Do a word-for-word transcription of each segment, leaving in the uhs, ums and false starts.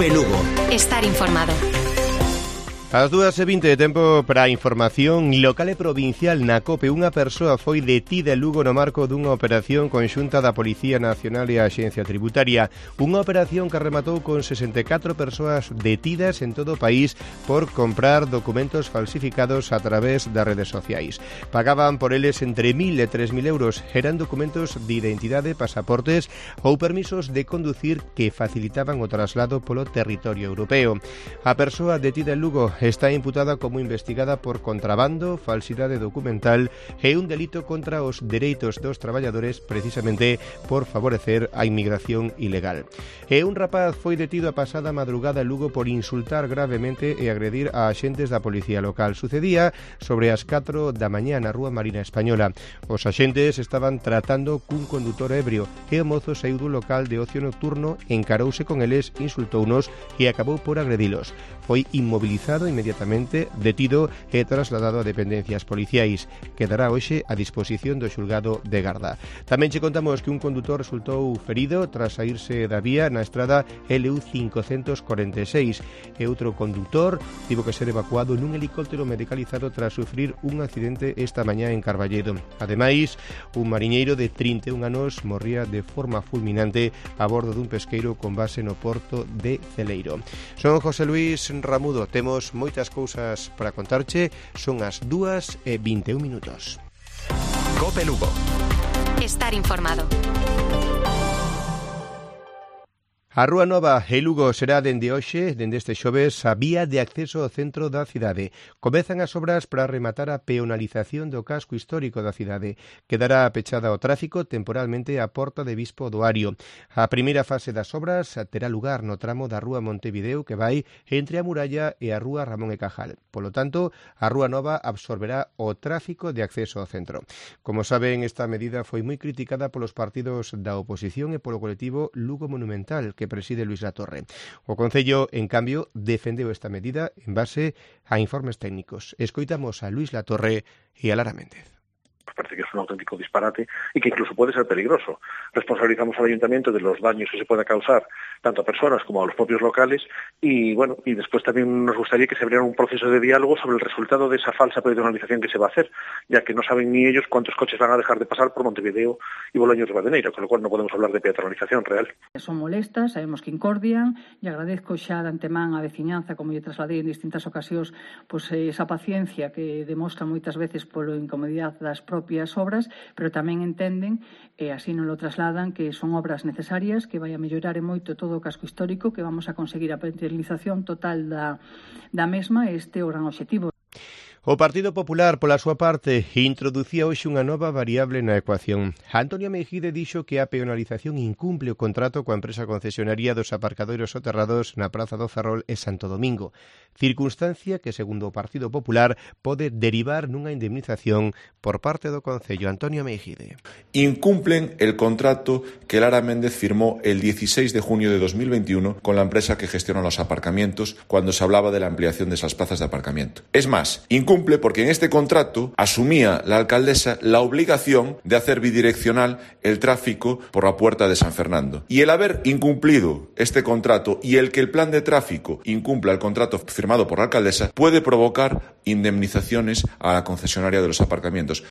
Cope Lugo. Estar informado. Ás dúas e vinte de tempo para a información local e provincial na COPE. Unha persoa foi detida en Lugo no marco dunha operación conxunta da Policía Nacional e a Axencia Tributaria. Unha operación que rematou con sesenta e catro persoas detidas en todo o país por comprar documentos falsificados a través das redes sociais. Pagaban por eles entre mil e tres mil euros. Eran documentos de identidade, pasaportes ou permisos de conducir que facilitaban o traslado polo territorio europeo. A persoa detida en Lugo está imputada como investigada por contrabando, falsidade documental e un delito contra os dereitos dos traballadores, precisamente por favorecer a inmigración ilegal. E un rapaz foi detido a pasada madrugada en Lugo por insultar gravemente e agredir a axentes da policía local. Sucedía sobre as catro da mañá na Rúa Marina Española. Os axentes estaban tratando cun condutor ebrio e o mozo saíu do local de ocio nocturno, encarouse con eles, insultounos e acabou por agredilos. Foi inmobilizado inmediatamente, detido e trasladado a dependencias policiais. Quedará hoxe a disposición do xulgado de Garda. Tamén che contamos que un condutor resultou ferido tras saírse da vía na estrada L U cincocentos corenta e seis e outro condutor tivo que ser evacuado nun helicóptero medicalizado tras sufrir un accidente esta mañá en Carballedo. Ademais, un mariñeiro de trinta e un anos morría de forma fulminante a bordo dun pesqueiro con base no porto de Celeiro. Son José Luis Ramudo, temos moitas cousas para contarche. Son as dúas e vinte e un minutos. Cope Lugo. Estar informado. A Rúa Nova e Lugo será dende hoxe, dende este xoves, a vía de acceso ao centro da cidade. Comezan as obras para rematar a peonalización do casco histórico da cidade. Quedará pechada ao tráfico temporalmente a Porta de Bispo do Ario. A primeira fase das obras terá lugar no tramo da Rúa Montevideo que vai entre a Muralla e a Rúa Ramón e Cajal. Polo tanto, a Rúa Nova absorberá o tráfico de acceso ao centro. Como saben, esta medida foi moi criticada polos partidos da oposición e polo colectivo Lugo Monumental, que preside Luis Latorre. O Concello, en cambio, defendeu esta medida en base a informes técnicos. Escoitamos a Luis Latorre e a Lara Méndez. Parece que es un auténtico disparate y que incluso puede ser peligroso. Responsabilizamos al ayuntamiento de los daños que se pueda causar tanto a personas como a los propios locales y bueno, y después también nos gustaría que se abriera un proceso de diálogo sobre el resultado de esa falsa peatonalización que se va a hacer, ya que no saben ni ellos cuántos coches van a dejar de pasar por Montevideo y Bolaños de Badeneira, con lo cual no podemos hablar de peatonalización real. Son molestas, sabemos que incordian e agradezco xa de antemán a veciñanza, como lle trasladei en distintas ocasións, pois esa paciencia que demostra moitas veces polo incomodidade das propias obras, pero tamén entenden, e así non lo trasladan, que son obras necesarias, que vai a mellorar en moito todo o casco histórico, que vamos a conseguir a peatonalización total da, da mesma, este é o gran obxectivo. O Partido Popular, pola súa parte, introducía hoxe unha nova variable na ecuación. Antonio Mejide dixo que a peonalización incumple o contrato coa empresa concesionaria dos aparcadoiros soterrados na Praza do Ferrol e Santo Domingo, circunstancia que, segundo o Partido Popular, pode derivar nunha indemnización por parte do Concello. Antonio Mejide. Incumplen el contrato que Lara Méndez firmó el dieciséis de junio de dos mil veintiuno con la empresa que gestiona los aparcamientos cuando se hablaba de la ampliación de esas plazas de aparcamiento. Es más, incumple Cumple porque en este contrato asumía la alcaldesa la obligación de hacer bidireccional el tráfico por la puerta de San Fernando. Y el haber incumplido este contrato y el que el plan de tráfico incumpla el contrato firmado por la alcaldesa puede provocar indemnizaciones a la concesionaria de los aparcamientos.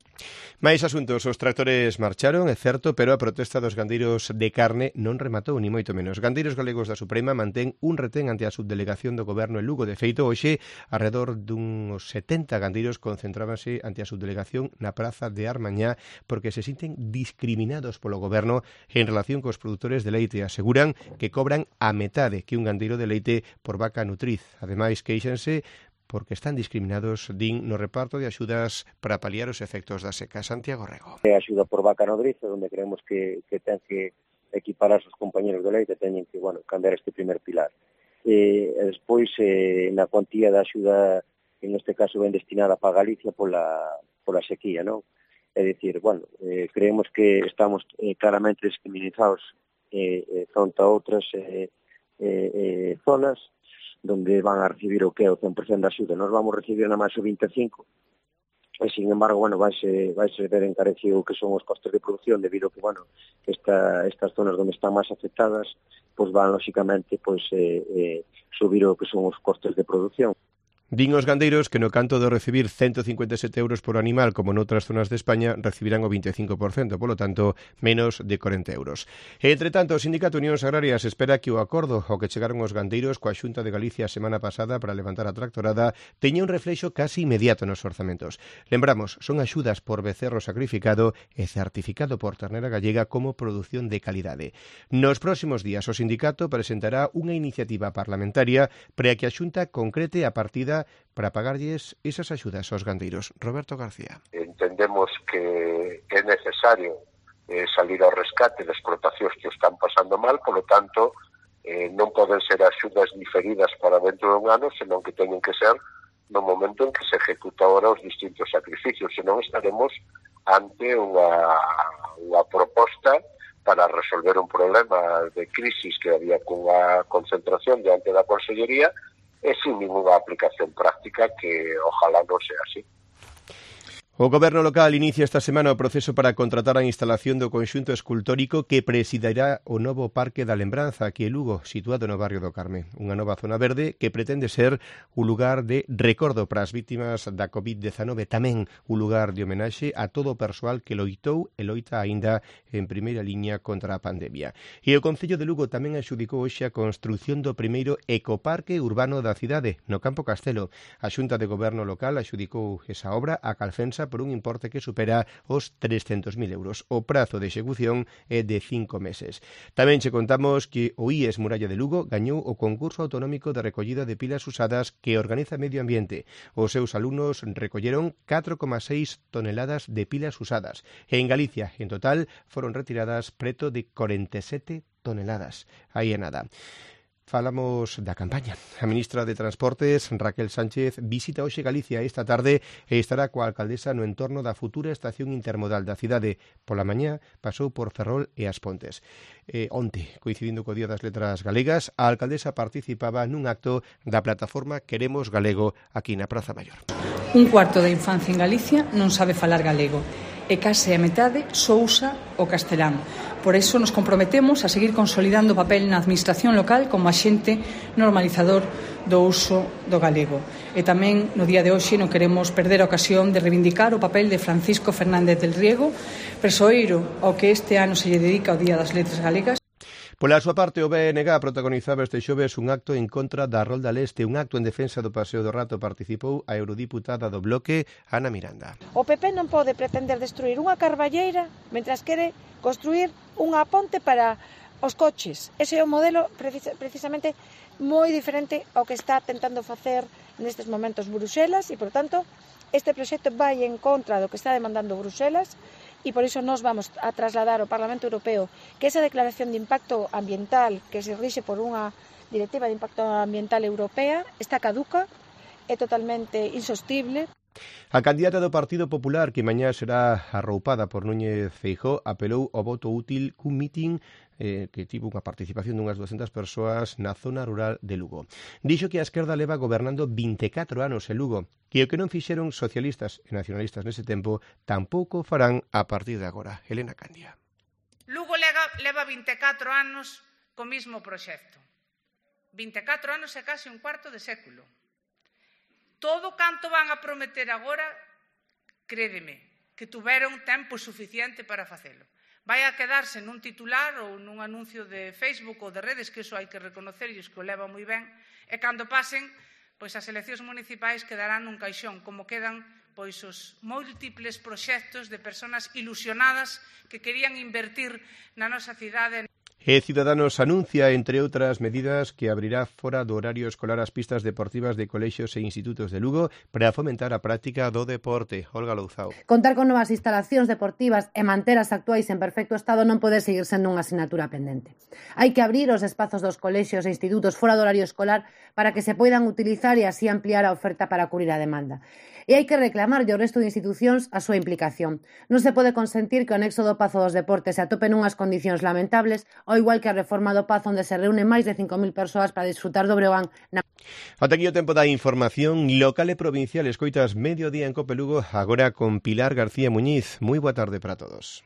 Máis asuntos, os tractores marcharon, é certo, pero a protesta dos gandeiros de carne non rematou, ni moito menos. Gandeiros galegos da Suprema mantén un retén ante a subdelegación do Goberno en Lugo. De feito, hoxe, alrededor duns setenta gandeiros concentrábanse ante a subdelegación na Praza de Armañá porque se sinten discriminados polo Goberno en relación cos produtores de leite. Aseguran que cobran a metade que un gandeiro de leite por vaca nutriz. Ademais, queixanse porque están discriminados, din, no reparto de axudas para paliar os efectos da seca. Santiago Rego. É axuda por vaca nodriza, onde creemos que, que ten que equiparar os compañeros de leite, teñen que, bueno, cambiar este primer pilar. E, e despois, eh, na cuantía da axuda, en este caso, ben destinada para Galicia pola, pola sequía, non? É dicir, bueno, eh, creemos que estamos eh, claramente discriminados eh, eh, fronte a outras eh, eh, eh, zonas, donde van a recibir o que é o cen por cento da axuda. Nós vamos recibir na máis o vinte e cinco e, sin embargo, bueno, vaise, vaise ver encarecido que son os costes de producción debido a que, bueno, esta, estas zonas onde están máis afectadas, pois van, lóxicamente, pois, eh, eh, subir o que son os costes de producción. Din os gandeiros que no canto de recibir ciento cincuenta e sete euros por animal como noutras zonas de España recibirán o vinte e cinco por cento, polo tanto, menos de corenta euros. E, entre tanto, o Sindicato Unións Agrarias espera que o acordo ao que chegaron os gandeiros coa Xunta de Galicia a semana pasada para levantar a tractorada teña un reflexo casi inmediato nos orzamentos. Lembramos, son axudas por becerro sacrificado e certificado por ternera gallega como produción de calidade. Nos próximos días o sindicato presentará unha iniciativa parlamentaria para que a Xunta concrete a partida para pagarlles esas axudas aos gandeiros. Roberto García. Entendemos que é necesario eh, salir ao rescate das explotacións que están pasando mal, polo tanto, eh, non poden ser axudas diferidas para dentro dun ano, senón que teñen que ser no momento en que se ejecuta ahora os distintos sacrificios, senón estaremos ante unha, unha proposta para resolver un problema de crisis que había cunha concentración diante da Consellería e sin ninguna aplicación práctica que ojalá non sea así. O Goberno local inicia esta semana o proceso para contratar a instalación do conxunto escultórico que presidirá o novo Parque da Lembranza aquí en Lugo, situado no barrio do Carme. Unha nova zona verde que pretende ser un lugar de recordo para as vítimas da covid dezanove, tamén un lugar de homenaxe a todo o persoal que loitou e loita aínda en primeira liña contra a pandemia. E o Concello de Lugo tamén axudicou hoxe a construción do primeiro ecoparque urbano da cidade, no Campo Castelo. A Xunta de Goberno local axudicou esa obra a Calfensa por un importe que supera os trescentos mil euros. O prazo de execución é de cinco meses. Tamén che contamos que o I E S Muralla de Lugo gañou o concurso autonómico de recollida de pilas usadas que organiza Medio Ambiente. Os seus alumnos recolleron catro coma seis toneladas de pilas usadas. E en Galicia, en total, foron retiradas preto de corenta e sete toneladas. Aí é nada. Falamos da campaña. A ministra de Transportes, Raquel Sánchez, visita hoxe Galicia esta tarde e estará coa alcaldesa no entorno da futura estación intermodal da cidade. Pola mañá pasou por Ferrol e As Pontes. E onte, coincidindo co Día das Letras Galegas, a alcaldesa participaba nun acto da plataforma Queremos Galego aquí na Praza Maior. Un cuarto da infancia en Galicia non sabe falar galego e case a metade só usa o castelán. Por iso nos comprometemos a seguir consolidando o papel na administración local como axente normalizador do uso do galego. E tamén no día de hoxe non queremos perder a ocasión de reivindicar o papel de Francisco Fernández del Riego, persoeiro ao que este ano se lle dedica o Día das Letras Galegas. Pola súa parte, o B N G protagonizaba este xoves un acto en contra da Rolda Leste, un acto en defensa do Paseo do Rato. Participou a eurodiputada do Bloque, Ana Miranda. O P P non pode pretender destruir unha carballeira mentras quere construir unha ponte para os coches. Ese é un modelo precisamente moi diferente ao que está tentando facer nestes momentos Bruxelas e, por tanto, este proxecto vai en contra do que está demandando Bruxelas e por iso nos vamos a trasladar ao Parlamento Europeo que esa declaración de impacto ambiental que se rixe por unha directiva de impacto ambiental europea está caduca, é totalmente insostible. A candidata do Partido Popular, que mañá será arroupada por Núñez Feijóo, apelou ao voto útil cun mitin eh, que tivo unha participación dunhas duascentas persoas na zona rural de Lugo. Dixo que a esquerda leva gobernando vinte e catro anos en Lugo, que o que non fixeron socialistas e nacionalistas nese tempo tampouco farán a partir de agora. Elena Candia. Lugo leva, leva vinte e catro anos co mismo proxecto. vinte e catro anos é case un cuarto de século. Todo canto van a prometer agora, crédeme, que tuveron tempo suficiente para facelo. Vai a quedarse nun titular ou nun anuncio de Facebook ou de redes, que iso hai que reconocerlles que o leva moi ben, e cando pasen, pois as eleccións municipais quedarán nun caixón, como quedan pois os múltiples proxectos de persoas ilusionadas que querían invertir na nosa cidade. E Ciudadanos anuncia, entre outras medidas, que abrirá fora do horario escolar as pistas deportivas de colexios e institutos de Lugo para fomentar a práctica do deporte. Olga Louzao. Contar con novas instalacións deportivas e manter as actuais en perfecto estado non pode seguir sendo unha asignatura pendente. Hai que abrir os espazos dos colexios e institutos fora do horario escolar para que se poidan utilizar e así ampliar a oferta para cubrir a demanda. e hai que reclamarlle ao resto de institucións a súa implicación. Non se pode consentir que o anexo do Pazo dos Deportes se atope nunhas condicións lamentables, ao igual que a reforma do Pazo onde se reúnen máis de cinco mil persoas para disfrutar do Breogán. Na... Ata aquí o tempo da información local e provincial. Escoitas Mediodía en Cope Lugo, agora con Pilar García Muñiz. Moi boa tarde para todos.